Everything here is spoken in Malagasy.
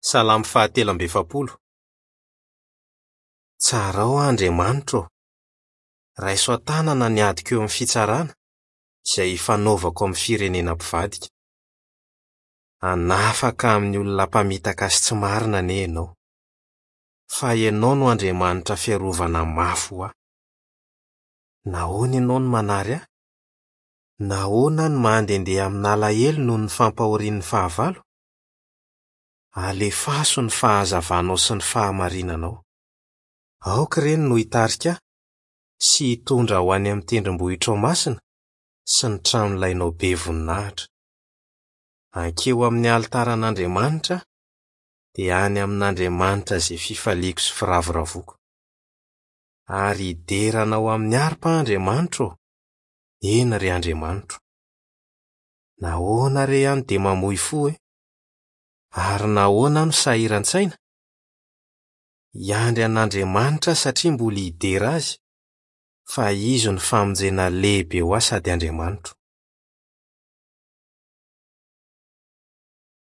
Salamo fahatelo amby efapolo. Tsarao aho Andriamanitra ô! Raiso an-tanana ny adiko eo amin'ny fitsarana, izay ifanaovako amin'ny firenena mpivadika. Hanafaka amin'ny olona mpamitaka sy tsy marina anie Ianao. Fa Ianao no Andriamanitra fiarovana mafy ho ahy. Nahoana Ianao no manary ahy? Nahoana aho no mandehandeha amin'alahelo noho ny fampahorian'ny fahavalo? Alefaso ny fahazavanao sy ny fahamarinanao. Aoka ireny no hitarika ahy sy hitondra ho any amin'ny tendrombohitrao masina sy ny tranolainao be voninahitra. Hankeo amin'ny alitaran'Andriamanitra aho, dia any amin'Andriamanitra izay fifaliako sy firavoravoako. Ary hidera Anao amin'ny harpa aho, Andriamanitro ô, eny ry Andriamanitro. Nahoana re aho no dia mamoy fo e? Ary nahoana aho no sahiran-tsaina? Hiandry an'Andriamanitra aho satria mbola hidera Azy, fa Izy no famonjena lehibe ho ahy sady Andriamanitro.